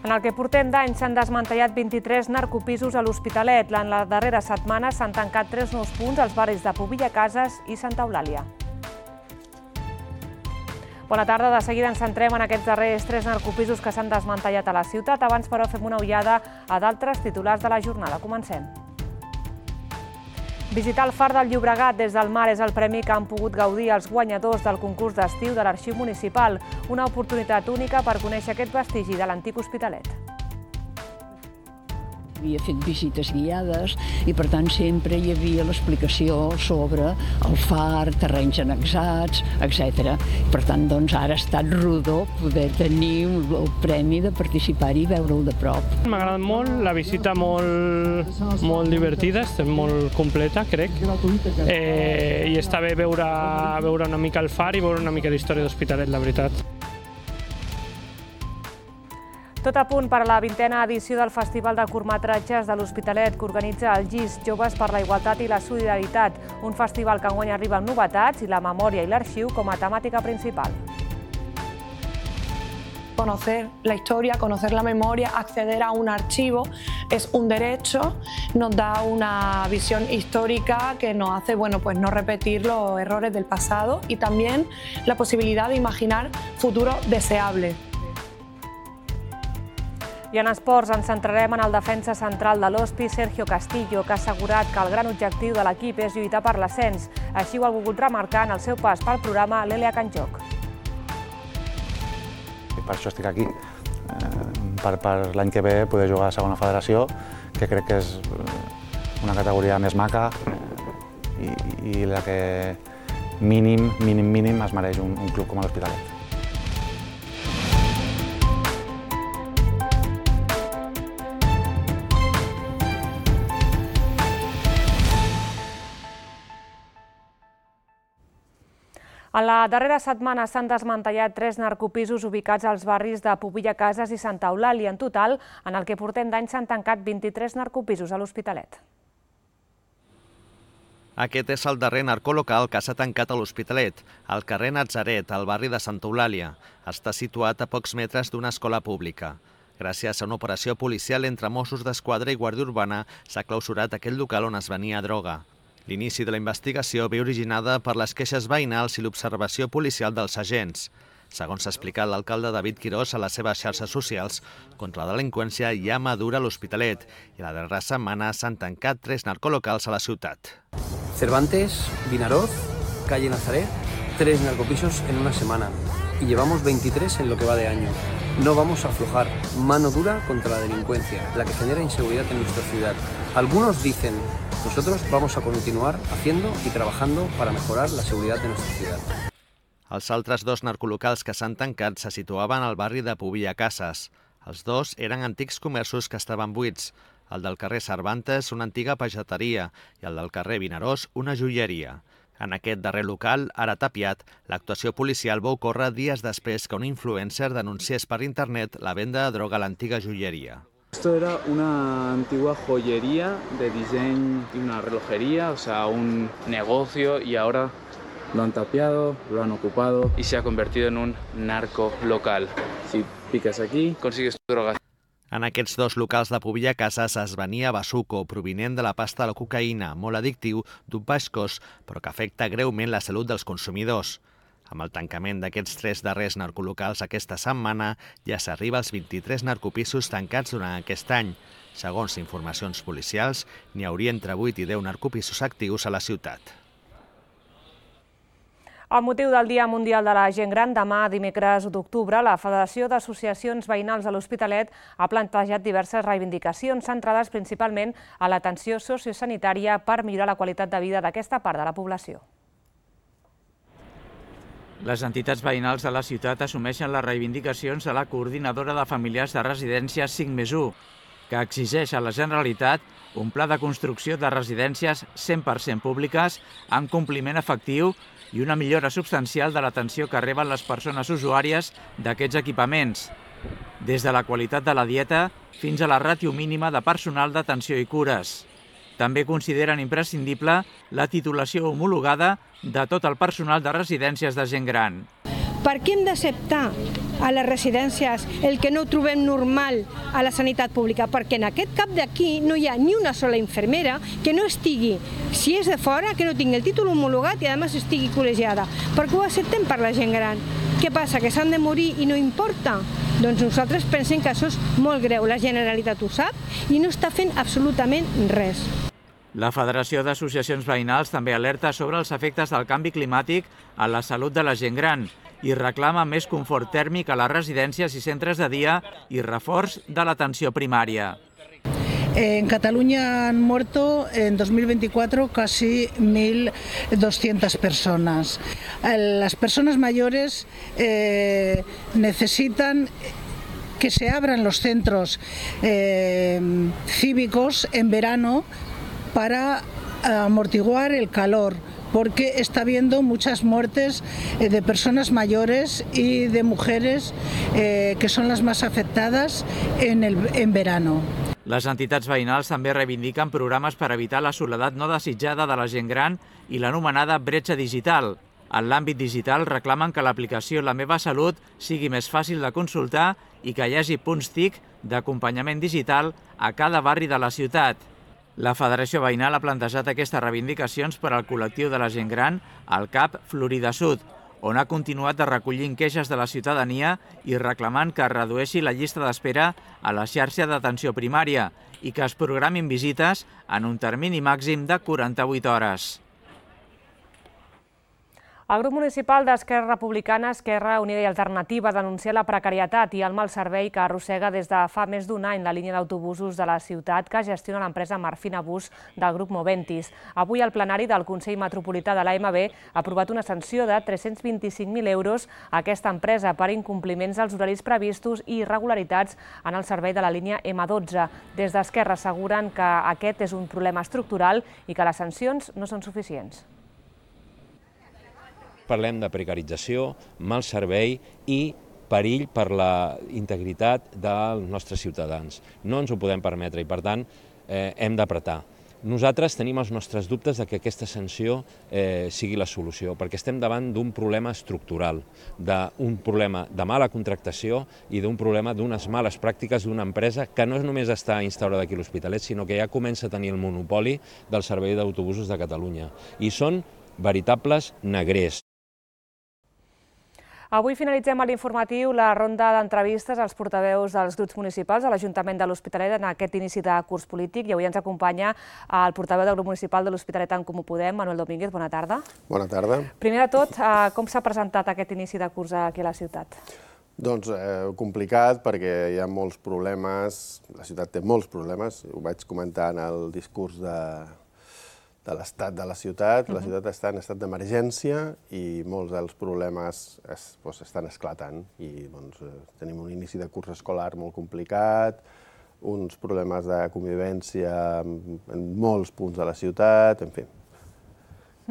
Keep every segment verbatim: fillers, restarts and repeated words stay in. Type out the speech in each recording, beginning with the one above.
En el que portem d'any s'han desmantellat vint-i-tres narcopisos a l'Hospitalet. En la darrera setmana s'han tancat tres nous punts als barris de Pobilla Cases i Santa Eulàlia. Bona tarda, de seguida ens centrem en aquests darrers tres narcopisos que s'han desmantellat a la ciutat. Abans, però, fem una ullada a d'altres titulars de la jornada. Comencem. Visitar el Far del Llobregat des del mar és el premi que han pogut gaudir els guanyadors del concurs d'estiu de l'Arxiu Municipal, una oportunitat única per conèixer aquest vestigi de l'antic Hospitalet. Havia fet visites guiades i, per tant, sempre hi havia l'explicació sobre el far, terrenys annexats, etcètera. Per tant, doncs, ara ha estat rodó poder tenir el premi de participar-hi i veure'l de prop. M'ha agradat molt, la visita molt, molt divertida, molt completa, crec. Eh, I està bé veure, veure una mica el far i veure una mica d'història d'Hospitalet, la veritat. Tot a punt per a la vintena edició del Festival de Curtmetratges de l'Hospitalet que organitza el G I S, Joves per la Igualtat i la Solidaritat, un festival que enguany arriba amb novetats i la memòria i l'arxiu com a temàtica principal. Conocer la historia, conocer la memoria, acceder a un archivo es un derecho, nos da una visión histórica que nos hace, bueno, pues no repetir los errores del pasado y también la posibilidad de imaginar futuros deseables. I en esports ens centrarem en el defensa central de l'Hospi, Sergio Castillo, que ha assegurat que el gran objectiu de l'equip és lluitar per l'ascens. Així ho ha volgut remarcar en el seu pas pel programa l'Elia Canjoc. Per això estic aquí, per, per l'any que ve poder jugar a segona federació, que crec que és una categoria més maca i, i la que mínim, mínim, mínim es mereix un, un club com l'Hospitalet. En la darrera setmana s'han desmantellat tres narcopisos ubicats als barris de Pobilla Cases i Santa Eulàlia. En total, en el que portem d'any s'han tancat vint-i-tres narcopisos a l'Hospitalet. Aquest és el darrer narcolocal que s'ha tancat a l'Hospitalet, al carrer Natzaret, al barri de Santa Eulàlia. Està situat a pocs metres d'una escola pública. Gràcies a una operació policial entre Mossos d'Esquadra i Guàrdia Urbana s'ha clausurat aquell local on es venia droga. L'inici de la investigació ve originada per les queixes veïnals i l'observació policial dels agents. Segons s'ha explicat l'alcalde David Quirós a les seves xarxes socials, contra la delinqüència ja madura l'Hospitalet i la darrera setmana s'han tancat tres narcolocals a la ciutat. Cervantes, Vinaroz, calle Nazaret, tres narcopisos en una semana y llevamos veintitrés en lo que va de año. No vamos a aflojar, mano dura contra la delincuencia, la que genera inseguridad en nuestra ciudad. Algunos dicen, nosotros vamos a continuar haciendo y trabajando para mejorar la seguridad de nuestra ciudad. Els altres dos narcolocals que s'han tancat se situaven al barri de Pobilla Cases. Els dos eren antics comerços que estaven buits. El del carrer Cervantes, una antiga pageteria, i el del carrer Vinaròs, una joieria. En aquest darrer local, ara tapiat, l'actuació policial va ocórrer dies després que un influencer denunciés per internet la venda de droga a l'antiga joieria. Esto era una antigua joyería de diseño y una relojería, o sea, un negocio, y ahora lo han tapiado, lo han ocupado y se ha convertido en un narco local. Si picas aquí, consigues tu droga. En aquests dos locals de Pobilla Cases es venia bazuco, provinent de la pasta de la cocaïna, molt addictiu, d'un baix cost, però que afecta greument la salut dels consumidors. Amb el tancament d'aquests tres darrers narcolocals aquesta setmana, ja s'arriba als vint-i-tres narcopisos tancats durant aquest any. Segons informacions policials, n'hi hauria entre vuit i deu narcopisos actius a la ciutat. Amb motiu del Dia Mundial de la Gent Gran, demà, dimecres u d'octubre, la Federació d'Associacions Veïnals de l'Hospitalet ha plantejat diverses reivindicacions centrades principalment a l'atenció sociosanitària per millorar la qualitat de vida d'aquesta part de la població. Les entitats veïnals de la ciutat assumeixen les reivindicacions de la coordinadora de familiars de residències cinc més u, que exigeix a la Generalitat un pla de construcció de residències cent per cent públiques amb compliment efectiu i una millora substancial de l'atenció que reben les persones usuàries d'aquests equipaments, des de la qualitat de la dieta fins a la ràtio mínima de personal d'atenció i cures. També consideren imprescindible la titulació homologada de tot el personal de residències de gent gran. Per què hem d'acceptar a les residències el que no ho trobem normal a la sanitat pública? Perquè en aquest cap d'aquí no hi ha ni una sola infermera que no estigui, si és de fora, que no tingui el títol homologat i a més estigui col·legiada. Per què ho acceptem per la gent gran? Què passa, que s'han de morir i no importa? Doncs nosaltres pensem que això és molt greu. La Generalitat ho sap i no està fent absolutament res. La Federació d'Associacions Veïnals també alerta sobre els efectes del canvi climàtic a la salut de la gent gran i reclama més confort tèrmic a les residències i centres de dia i reforç de l'atenció primària. En Cataluña han muerto en dos mil veinticuatro casi mil doscientas personas. Las personas mayores eh, necesitan que se abran los centros eh, cívicos en verano para amortiguar el calor, porque está habiendo muchas muertes de personas mayores y de mujeres eh, que son las más afectadas en, el, en verano. Les entitats veïnals també reivindiquen programes per evitar la soledat no desitjada de la gent gran i l'anomenada bretxa digital. En l'àmbit digital reclamen que l'aplicació La meva salut sigui més fàcil de consultar i que hi hagi punts T I C d'acompanyament digital a cada barri de la ciutat. La Federació Veïnal ha plantejat aquestes reivindicacions per al col·lectiu de la gent gran al C A P Florida Sud, on ha continuat recollint queixes de la ciutadania i reclamant que es redueixi la llista d'espera a la xarxa d'atenció primària i que es programin visites en un termini màxim de quaranta-vuit hores. El grup municipal d'Esquerra Republicana, Esquerra Unida i Alternativa denuncia la precarietat i el mal servei que arrossega des de fa més d'un any la línia d'autobusos de la ciutat que gestiona l'empresa Marfina Bus del grup Moventis. Avui el plenari del Consell Metropolità de l'A M B ha aprovat una sanció de tres-cents vint-i-cinc mil euros a aquesta empresa per incompliments dels horaris previstos i irregularitats en el servei de la línia M dotze. Des d'Esquerra asseguren que aquest és un problema estructural i que les sancions no són suficients. Parlem de precarització, mal servei i perill per la integritat dels nostres ciutadans. No ens ho podem permetre i, per tant, eh, hem d'apretar. Nosaltres tenim els nostres dubtes de que aquesta sanció eh, sigui la solució, perquè estem davant d'un problema estructural, d'un problema de mala contractació i d'un problema d'unes males pràctiques d'una empresa que no només està instaurada aquí a l'Hospitalet, sinó que ja comença a tenir el monopoli del servei d'autobusos de Catalunya. I són veritables negrers. Avui finalitzem a l'informatiu la ronda d'entrevistes als portaveus dels grups municipals de l'Ajuntament de l'Hospitalet en aquest inici de curs polític i avui ens acompanya el portaveu del grup municipal de l'Hospitalet en Comú Podem, Manuel Domínguez. Bona tarda. Bona tarda. Primer de tot, com s'ha presentat aquest inici de curs aquí a la ciutat? Doncs eh, complicat perquè hi ha molts problemes, la ciutat té molts problemes, ho vaig comentar en el discurs de... de l'estat de la ciutat. La ciutat està en estat d'emergència i molts dels problemes es, doncs, estan esclatant. I doncs, tenim un inici de curs escolar molt complicat, uns problemes de convivència en molts punts de la ciutat, en fi.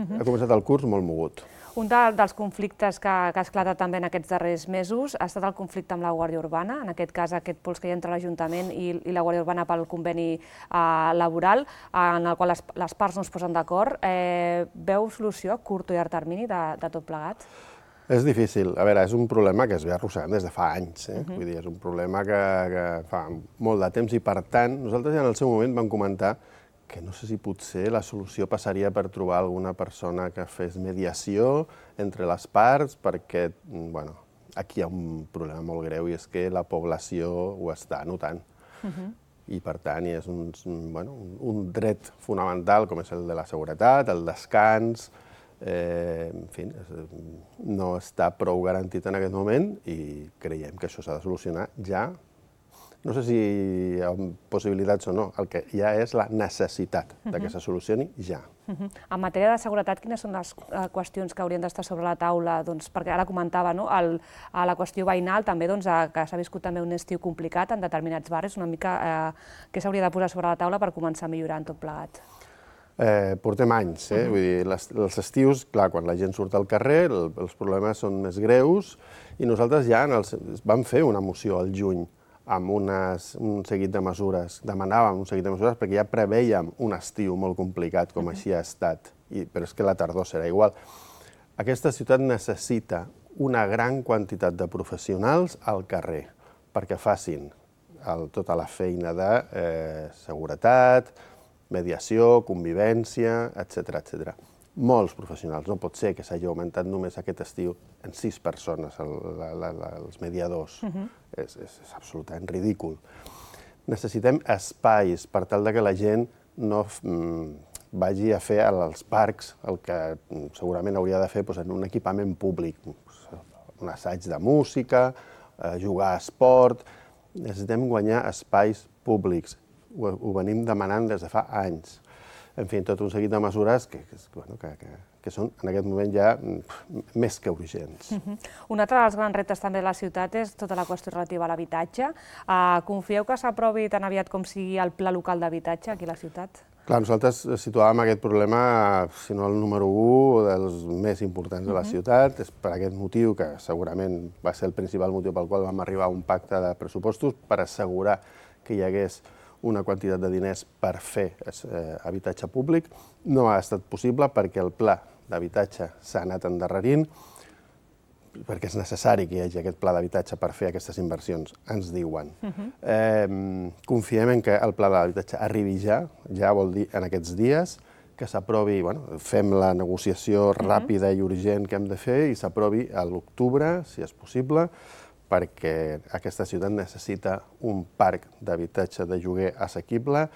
Ha començat el curs molt mogut. Un dels conflictes que ha esclatat també en aquests darrers mesos ha estat el conflicte amb la Guàrdia Urbana, en aquest cas aquest pols que hi ha entre l'Ajuntament i la Guàrdia Urbana pel conveni laboral, en el qual les parts no es posen d'acord. Veu solució a curt o llarg termini de tot plegat? És difícil. A veure, és un problema que es ve arrossegant des de fa anys. Vull dir, és un problema que fa molt de temps i, per tant, nosaltres ja en el seu moment vam comentar que no sé si potser la solució passaria per trobar alguna persona que fes mediació entre les parts, perquè, bueno, aquí hi ha un problema molt greu i és que la població ho està notant. I, per tant, és un, bueno, un dret fonamental com és el de la seguretat, el descans, eh, en fi, no està prou garantit en aquest moment i creiem que això s'ha de solucionar ja. No sé si hi ha possibilitats o no, el que ja és la necessitat que se solucioni ja. En matèria de seguretat, quines són les qüestions que haurien d'estar sobre la taula? Perquè ara comentava la qüestió veïnal, també que s'ha viscut també un estiu complicat en determinats barris, una mica què s'hauria de posar sobre la taula per començar a millorar en tot plegat? Portem anys, vull dir, els estius, clar, quan la gent surt al carrer, els problemes són més greus i nosaltres ja vam fer una moció al juny amb un seguit de mesures, demanàvem un seguit de mesures perquè ja prevèiem un estiu molt complicat, com així ha estat, però és que la tardor serà igual. Aquesta ciutat necessita una gran quantitat de professionals al carrer perquè facin tota la feina de seguretat, mediació, convivència, etcètera, etcètera. Molts professionals. No pot ser que s'hagi augmentat només aquest estiu en sis persones els mediadors. És absolutament ridícul. Necessitem espais per tal que la gent no vagi a fer als parcs el que segurament hauria de fer en un equipament públic, un assaig de música, jugar a esport. Necessitem guanyar espais públics. Ho venim demanant des de fa anys. En fi, tot un seguit de mesures que són en aquest moment ja més que urgents. Un altre dels grans reptes també de la ciutat és tota la qüestió relativa a l'habitatge. Confieu que s'aprovi tan aviat com sigui el pla local d'habitatge aquí a la ciutat? Clar, nosaltres situàvem aquest problema, si no el número u, dels més importants de la ciutat. És per aquest motiu, que segurament va ser el principal motiu pel qual vam arribar a un pacte de pressupostos, per assegurar que hi hagués una quantitat de diners per fer habitatge públic. No ha estat possible perquè el pla d'habitatge s'ha anat endarrerint, perquè és necessari que hi hagi aquest pla d'habitatge per fer aquestes inversions, ens diuen. Confiem en que el pla d'habitatge arribi ja, ja vol dir en aquests dies, que s'aprovi, fem la negociació ràpida i urgent que hem de fer i s'aprovi a l'octubre, si és possible, perquè aquesta ciutat necessita un parc d'habitatge de lloguer assequible,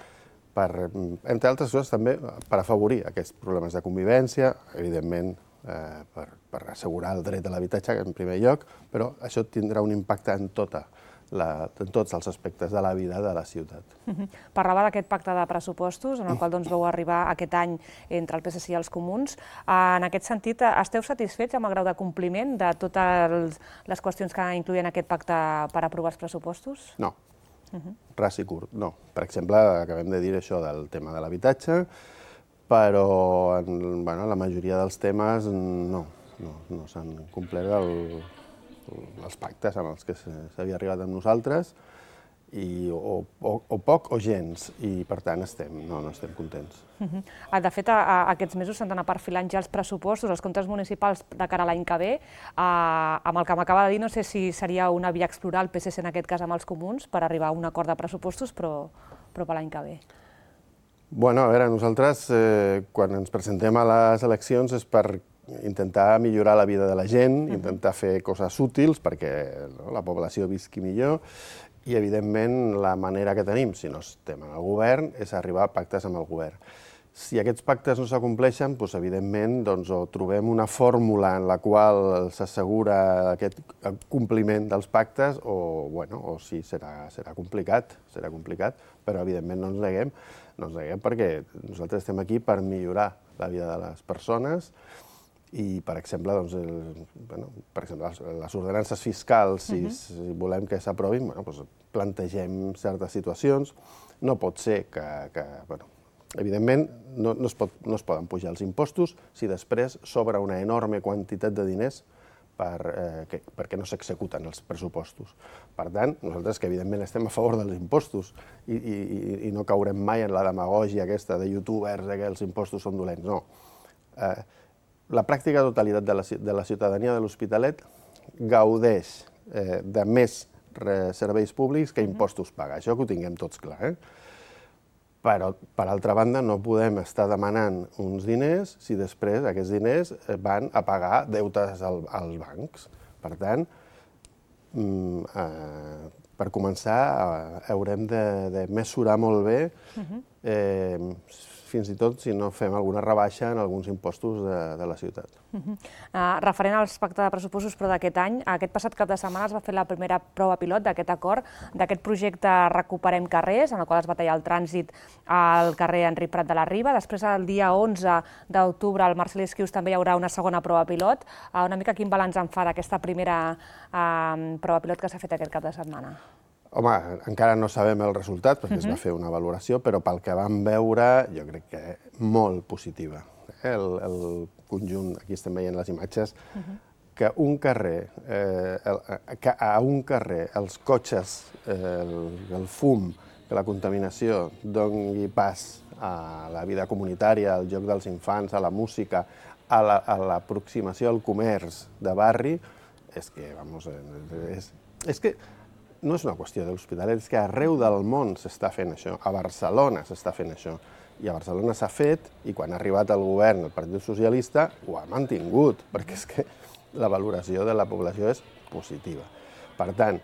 entre altres coses també per afavorir aquests problemes de convivència, evidentment per assegurar el dret a l'habitatge en primer lloc, però això tindrà un impacte en tots els aspectes de la vida de la ciutat. Parlava d'aquest pacte de pressupostos, en el qual vau arribar aquest any entre el P S C i els Comuns. En aquest sentit, esteu satisfets amb el grau de compliment de totes les qüestions que incloïen aquest pacte per aprovar els pressupostos? No, ras i curt, no. Per exemple, acabem de dir això del tema de l'habitatge, però en la majoria dels temes no s'han complert els pactes amb els que s'havia arribat amb nosaltres, o poc o gens, i per tant no estem contents. De fet, aquests mesos s'han d'anar perfilant ja els pressupostos, els comptes municipals de cara a l'any que ve. Amb el que m'acaba de dir, no sé si seria una via explorar el P S C en aquest cas amb els Comuns per arribar a un acord de pressupostos, però per l'any que ve. Bueno, a veure, nosaltres quan ens presentem a les eleccions és per intentar millorar la vida de la gent, intentar fer coses útils perquè la població visqui millor i, evidentment, la manera que tenim, si no estem en el govern, és arribar a pactes amb el govern. Si aquests pactes no s'acompleixen, evidentment, o trobem una fórmula en la qual s'assegura aquest compliment dels pactes, o sí, serà complicat, serà complicat, però, evidentment, no ens neguem, no ens neguem perquè nosaltres estem aquí per millorar la vida de les persones i, per exemple, les ordenances fiscals, si volem que s'aprovin, plantegem certes situacions. No pot ser que, evidentment, no es poden pujar els impostos si després sobra una enorme quantitat de diners perquè no s'executen els pressupostos. Per tant, nosaltres que evidentment estem a favor dels impostos i no caurem mai en la demagògia aquesta de youtubers que els impostos són dolents, no. La pràctica totalitat de la ciutadania de l'Hospitalet gaudeix de més serveis públics que impostos paga. Això que ho tinguem tots clar. Però, per altra banda, no podem estar demanant uns diners si després aquests diners van a pagar deutes als bancs. Per tant, per començar, haurem de mesurar molt bé, fins i tot si no fem alguna rebaixa en alguns impostos de la ciutat. Referent als pactes de pressupostos, però d'aquest any, aquest passat cap de setmana es va fer la primera prova pilot d'aquest acord, d'aquest projecte Recuperem Carrers, en el qual es va tallar el trànsit al carrer Enric Prat de la Riba. Després, el dia onze d'octubre, al Marcel Esquius també hi haurà una segona prova pilot. Una mica quin balanç en fa d'aquesta primera prova pilot que s'ha fet aquest cap de setmana? Home, encara no sabem el resultat, perquè es va fer una valoració, però pel que vam veure, jo crec que molt positiva. El conjunt, aquí estem veient les imatges, que un carrer, que a un carrer els cotxes, el fum, que la contaminació doni pas a la vida comunitària, al joc dels infants, a la música, a l'aproximació al comerç de barri, és que, vamos, és, és que no és una qüestió de l'Hospitalet, és que arreu del món s'està fent això, a Barcelona s'està fent això, i a Barcelona s'ha fet, i quan ha arribat al govern el Partit Socialista ho ha mantingut, perquè és que la valoració de la població és positiva. Per tant,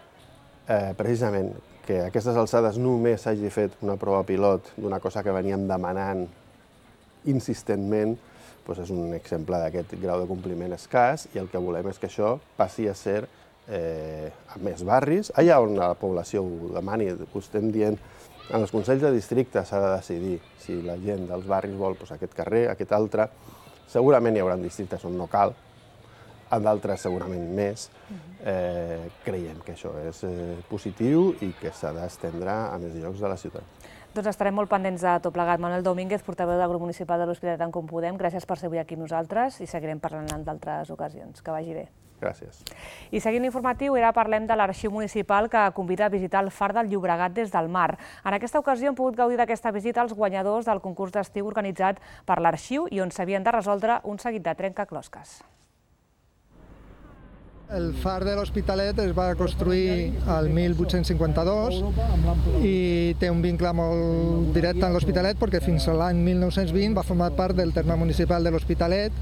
eh, precisament, que a aquestes alçades només s'hagi fet una prova pilot d'una cosa que veníem demanant insistentment, doncs és un exemple d'aquest grau de compliment escàs, i el que volem és que això passi a ser eh, a més barris, allà on la població ho demani, ho estem dient, en els consells de districte s'ha de decidir si la gent dels barris vol doncs, aquest carrer, aquest altre. Segurament hi haurà districtes on no cal, en d'altres segurament més. Eh, creiem que això és eh, positiu i que s'ha d'estendre a més llocs de la ciutat. Doncs estarem molt pendents de tot plegat. Manuel Domínguez, portaveu del grup municipal de l'Hospitalet en Com Podem, gràcies per ser avui aquí amb nosaltres i seguirem parlant en d'altres ocasions. Que vagi bé. Gràcies. I seguint l'informatiu, ara parlem de l'Arxiu Municipal que convida a visitar el Far del Llobregat des del mar. En aquesta ocasió hem pogut gaudir d'aquesta visita als guanyadors del concurs d'estiu organitzat per l'Arxiu i on s'havien de resoldre un seguit de trencaclosques. El far de l'Hospitalet es va construir el mil vuit-cents cinquanta-dos i té un vincle molt directe amb l'Hospitalet perquè fins a l'any mil nou-cents vint va formar part del terme municipal de l'Hospitalet,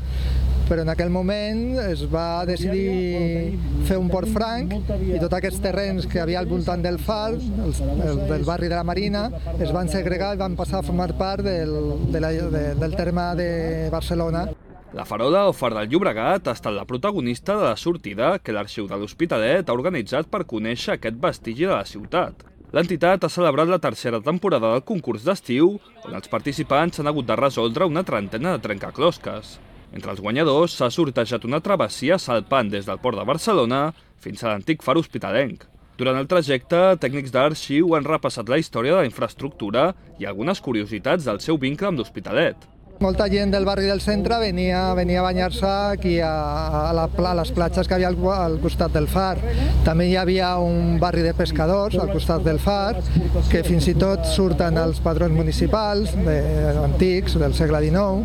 però en aquell moment es va decidir fer un port franc i tots aquests terrenys que havia al voltant del far, el, el, del barri de la Marina, es van segregar i van passar a formar part del, de la, de, del terme de Barcelona. La Farola o Far del Llobregat ha estat la protagonista de la sortida que l'Arxiu de l'Hospitalet ha organitzat per conèixer aquest vestigi de la ciutat. L'entitat ha celebrat la tercera temporada del concurs d'estiu, on els participants han hagut de resoldre una trentena de trencaclosques. Entre els guanyadors s'ha sortejat una travessia salpant des del port de Barcelona fins a l'antic far hospitalenc. Durant el trajecte, tècnics d'Arxiu han repassat la història de la infraestructura i algunes curiositats del seu vincle amb l'Hospitalet. Molta gent del barri del centre venia, venia a banyar-se aquí a, a, la, a les platges que havia al, al costat del far. També hi havia un barri de pescadors al costat del far, que fins i tot surten els padrons municipals de, antics del segle dinou,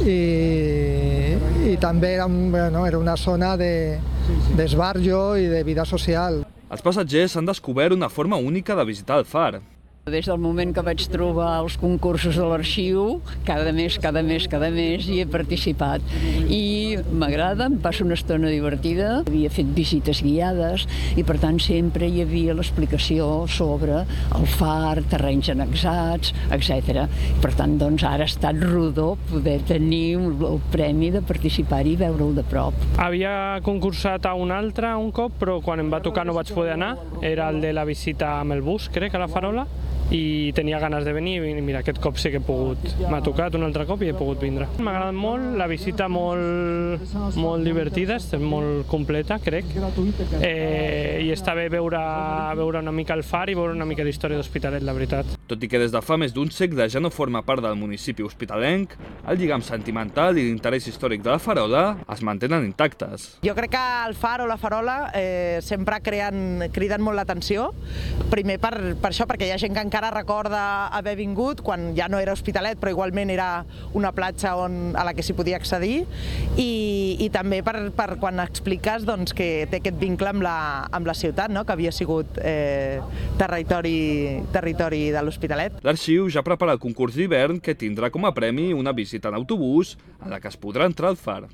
i, i també era, un, bueno, era una zona d'esbarjo de, i de vida social. Els passatgers han descobert una forma única de visitar el far. Des del moment que vaig trobar els concursos de l'Arxiu, cada mes, cada mes, cada mes hi he participat. I m'agrada, em passa una estona divertida. Havia fet visites guiades i, per tant, sempre hi havia l'explicació sobre el far, terrenys annexats, etcètera. Per tant, doncs, ara ha estat rodó poder tenir el premi de participar-hi i veure'l de prop. Havia concursat a un altre un cop, però quan em va tocar no vaig poder anar. Era el de la visita amb el bus, crec, a la Farola. I tenia ganes de venir i mira, aquest cop sí que he pogut. M'ha tocat un altre cop i he pogut vindre. M'ha agradat molt, la visita molt, molt divertida, molt completa, crec. Eh, I està bé veure, veure una mica el far i veure una mica d'història d'Hospitalet, la veritat. Tot i que des de fa més d'un segle ja no forma part del municipi hospitalenc, el lligam sentimental i l'interès històric de la Farola es mantenen intactes. Jo crec que el far o la Farola eh, sempre creen, criden molt l'atenció. Primer per, per això, perquè hi ha gent que encara recorda haver vingut quan ja no era Hospitalet, però igualment era una platja on, a la que s'hi podia accedir, i, i també per, per quan expliques doncs, que té aquest vincle amb la, amb la ciutat, no? Que havia sigut eh, territori, territori de l'Hospitalet. L'Arxiu ja prepara el concurs d'hivern que tindrà com a premi una visita en autobús en la que es podrà entrar al far.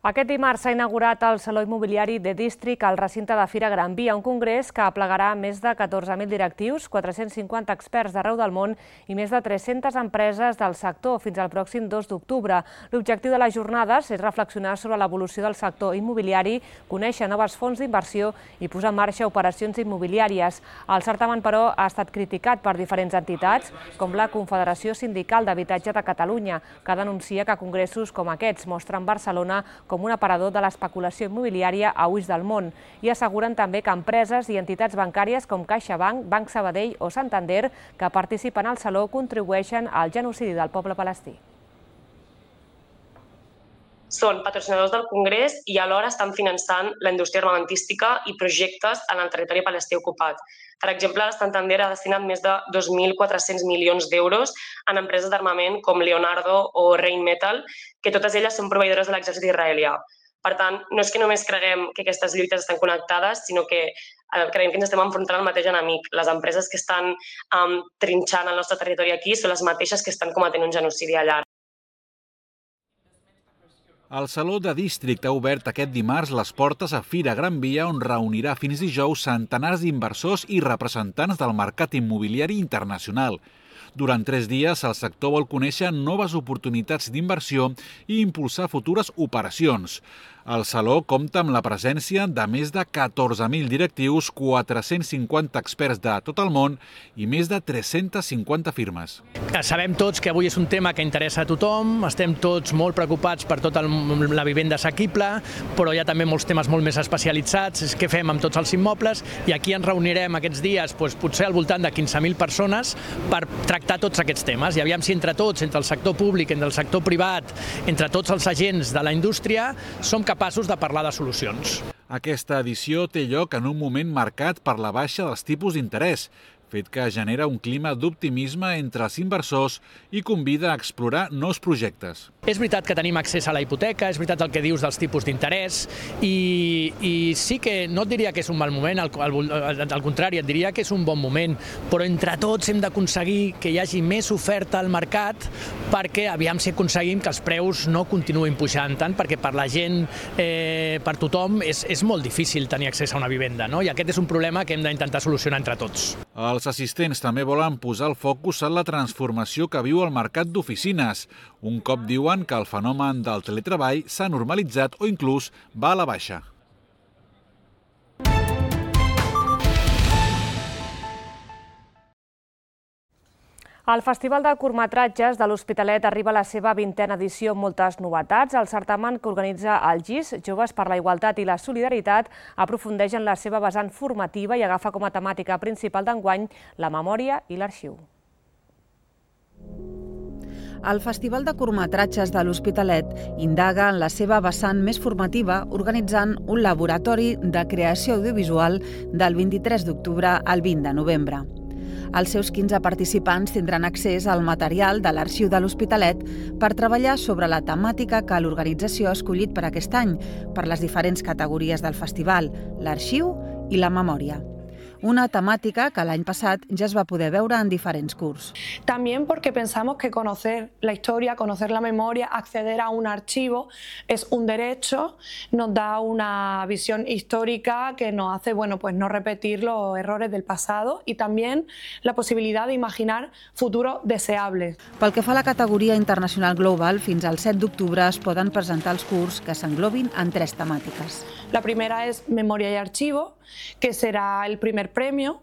Aquest dimarts s'ha inaugurat el Saló Immobiliari de District al recinte de Fira Gran Via, un congrés que aplegarà més de catorze mil directius, quatre-cents cinquanta experts d'arreu del món i més de tres-centes empreses del sector fins al pròxim dos d'octubre. L'objectiu de les jornades és reflexionar sobre l'evolució del sector immobiliari, conèixer noves fonts d'inversió i posar en marxa operacions immobiliàries. El certamen, però, ha estat criticat per diferents entitats, com la Confederació Sindical d'Habitatge de Catalunya, que denuncia que congressos com aquests mostren Barcelona com com un aparador de l'especulació immobiliària a ulls del món, i asseguren també que empreses i entitats bancàries com CaixaBank, Banc Sabadell o Santander, que participen al Saló, contribueixen al genocidi del poble palestí. Són patrocinadors del Congrés i alhora estan finançant la indústria armamentística i projectes en el territori palestí ocupat. Per exemple, Santander ha destinat més de dos mil quatre-cents milions d'euros en empreses d'armament com Leonardo o Rheinmetall, que totes elles són proveïdores de l'exèrcit israelià. Per tant, no és que només creguem que aquestes lluites estan connectades, sinó que creiem que ens estem enfrontant al mateix enemic. Les empreses que estan um, trinxant el nostre territori aquí són les mateixes que estan cometent un genocidi allà. El Saló de District ha obert aquest dimarts les portes a Fira Gran Via, on reunirà fins dijous centenars d'inversors i representants del mercat immobiliari internacional. Durant tres dies, el sector vol conèixer noves oportunitats d'inversió i impulsar futures operacions. El Saló compta amb la presència de més de catorze mil directius, quatre-cents cinquanta experts de tot el món i més de tres-centes cinquanta firmes. Sabem tots que avui és un tema que interessa a tothom, estem tots molt preocupats per tota la vivenda assequible, però hi ha també molts temes molt més especialitzats, què fem amb tots els immobles, i aquí ens reunirem aquests dies doncs, potser al voltant de quinze mil persones per tractar tots aquests temes, i aviam si entre tots, entre el sector públic, entre el sector privat, entre tots els agents de la indústria, som capaços de parlar de solucions. Aquesta edició té lloc en un moment marcat per la baixa dels tipus d'interès, fet que genera un clima d'optimisme entre els inversors i convida a explorar nous projectes. És veritat que tenim accés a la hipoteca, és veritat el que dius dels tipus d'interès, i, i sí que no et diria que és un mal moment, al, al, al contrari, et diria que és un bon moment, però entre tots hem d'aconseguir que hi hagi més oferta al mercat perquè aviam si aconseguim que els preus no continuïn pujant tant, perquè per la gent, eh, per tothom, és, és molt difícil tenir accés a una vivenda, no? I aquest és un problema que hem d'intentar solucionar entre tots. Els assistents també volen posar el focus en la transformació que viu el mercat d'oficines, un cop diuen que el fenomen del teletreball s'ha normalitzat o inclús va a la baixa. El Festival de Curtmetratges de l'Hospitalet arriba a la seva vintena edició amb moltes novetats. El certamen que organitza el G I S, Joves per la Igualtat i la Solidaritat, aprofundeix en la seva vessant formativa i agafa com a temàtica principal d'enguany la memòria i l'arxiu. El Festival de Curtmetratges de l'Hospitalet indaga en la seva vessant més formativa organitzant un laboratori de creació audiovisual del vint-i-tres d'octubre al vint de novembre. Els seus quinze participants tindran accés al material de l'Arxiu de l'Hospitalet per treballar sobre la temàtica que l'organització ha escollit per aquest any, per les diferents categories del festival, l'arxiu i la memòria. Una temática que el año pasado ya se va a poder veure en diferents curs. También porque pensamos que conocer la historia, conocer la memoria, acceder a un archivo es un derecho, nos da una visión histórica que nos hace bueno, pues no repetir los errores del pasado y también la posibilidad de imaginar futuros deseables. Pel que fa a la categoria internacional global, fins al set d'octubre es poden presentar els curs que s'englobin en tres temàtiques. La primera es Memoria y Archivo, que será el primer premio.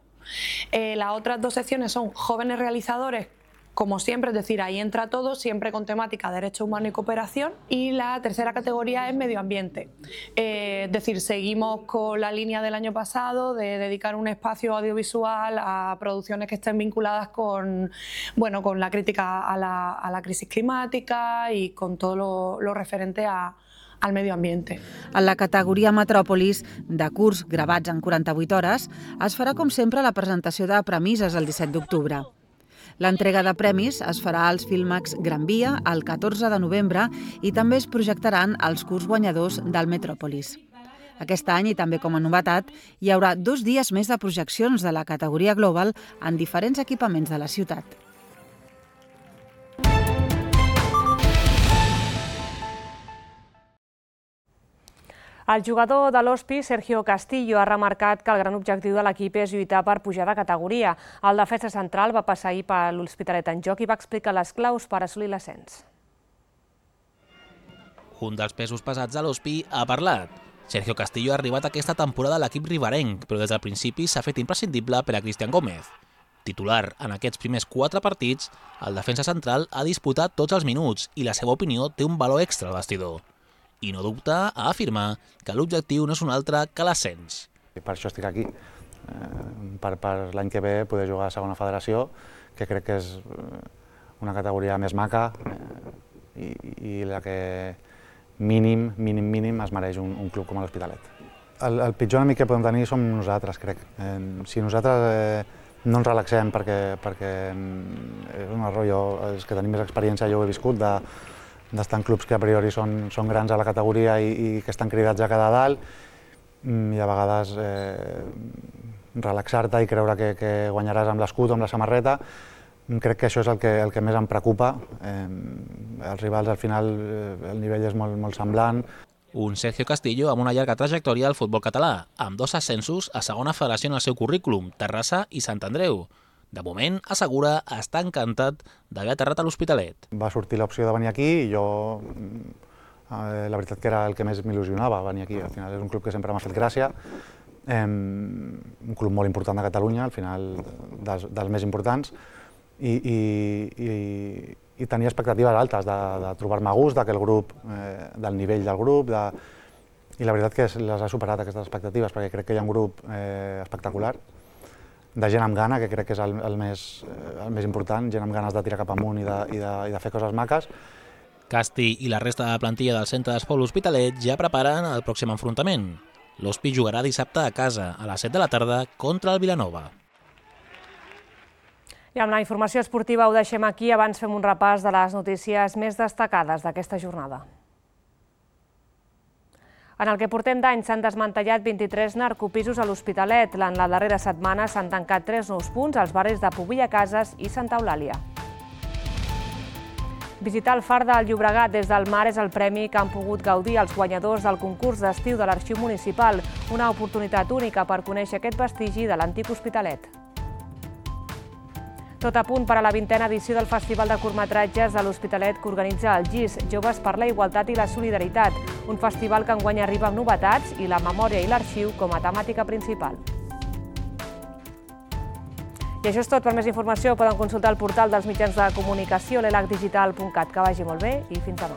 Eh, las otras dos secciones son Jóvenes Realizadores, como siempre, es decir, ahí entra todo, siempre con temática Derecho Humano y Cooperación. Y la tercera categoría es Medio Ambiente. Eh, es decir, seguimos con la línea del año pasado de dedicar un espacio audiovisual a producciones que estén vinculadas con, bueno, con la crítica a la, a la crisis climática y con todo lo, lo referente a al medio ambiente. En la categoria Metròpolis, de curs gravats en quaranta-vuit hores, es farà com sempre la presentació de premisses el disset d'octubre. L'entrega de premis es farà als Filmax Gran Via el catorze de novembre i també es projectaran els curs guanyadors del Metròpolis. Aquest any, i també com a novetat, hi haurà dos dies més de projeccions de la categoria Global en diferents equipaments de la ciutat. El jugador de l'Hospi, Sergio Castillo, ha remarcat que el gran objectiu de l'equip és lluitar per pujar de categoria. El defensa central va passar ahir per l'Hospitalet en joc i va explicar les claus per assolir l'ascens. Un dels pesos pesats de l'Hospi ha parlat. Sergio Castillo ha arribat aquesta temporada a l'equip riberenc, però des del principi s'ha fet imprescindible per a Cristian Gómez. Titular en aquests primers quatre partits, el defensa central ha disputat tots els minuts i la seva opinió té un valor extra al vestidor. I no dubta a afirmar que l'objectiu no és un altre que l'ascens. Per això estic aquí, per, per l'any que ve poder jugar a segona federació, que crec que és una categoria més maca i, i la que mínim, mínim, mínim es mereix un, un club com l'Hospitalet. El, el pitjor enemic que podem tenir som nosaltres, crec. Eh, si nosaltres eh, no ens relaxem perquè, perquè és un error, jo, els que tenim més experiència, jo ho he viscut, de d'estar en clubs que a priori són, són grans a la categoria i, i que estan cridats a quedar dalt, i a vegades eh, relaxar-te i creure que, que guanyaràs amb l'escut o amb la samarreta. Crec que això és el que, el que més em preocupa. Eh, els rivals, al final, el nivell és molt, molt semblant. Un Sergio Castillo amb una llarga trajectòria al futbol català, amb dos ascensos a segona federació en el seu currículum, Terrassa i Sant Andreu. De moment, assegura, està encantat d'haver aterrat a l'Hospitalet. Va sortir l'opció de venir aquí i jo, eh, la veritat que era el que més m'il·lusionava, venir aquí. Al final és un club que sempre m'ha fet gràcia, eh, un club molt important de Catalunya, al final dels, dels més importants, i, i, i, i tenia expectatives altes de, de trobar-me a gust, de que el grup, eh, del nivell del grup, de, i la veritat que les ha superat aquestes expectatives, perquè crec que hi ha un grup eh, espectacular, de gent amb gana, que crec que és el, el, més, el més important, gent amb ganes de tirar cap amunt i de, i de, i de fer coses maques. Casti i la resta de la plantilla del centre d'esport L'Hospitalet ja preparen el pròxim enfrontament. L'Hospi jugarà dissabte a casa, a les set de la tarda, contra el Vilanova. I amb la informació esportiva ho deixem aquí, abans fem un repàs de les notícies més destacades d'aquesta jornada. En el que portem d'any s'han desmantellat vint-i-tres narcopisos a l'Hospitalet. En la darrera setmana s'han tancat tres nous punts als barris de Pobilla Cases i Santa Eulàlia. Visitar el Far del Llobregat des del mar és el premi que han pogut gaudir els guanyadors del concurs d'estiu de l'Arxiu Municipal, una oportunitat única per conèixer aquest vestigi de l'antic Hospitalet. Tot a punt per a la vintena edició del Festival de Curtmetratges de l'Hospitalet que organitza el G I S, Joves per la Igualtat i la Solidaritat, un festival que enguany arriba amb novetats i la memòria i l'arxiu com a temàtica principal. I això és tot. Per més informació poden consultar el portal dels mitjans de comunicació, l'elac digital punt cat. Que vagi molt bé i fins demà.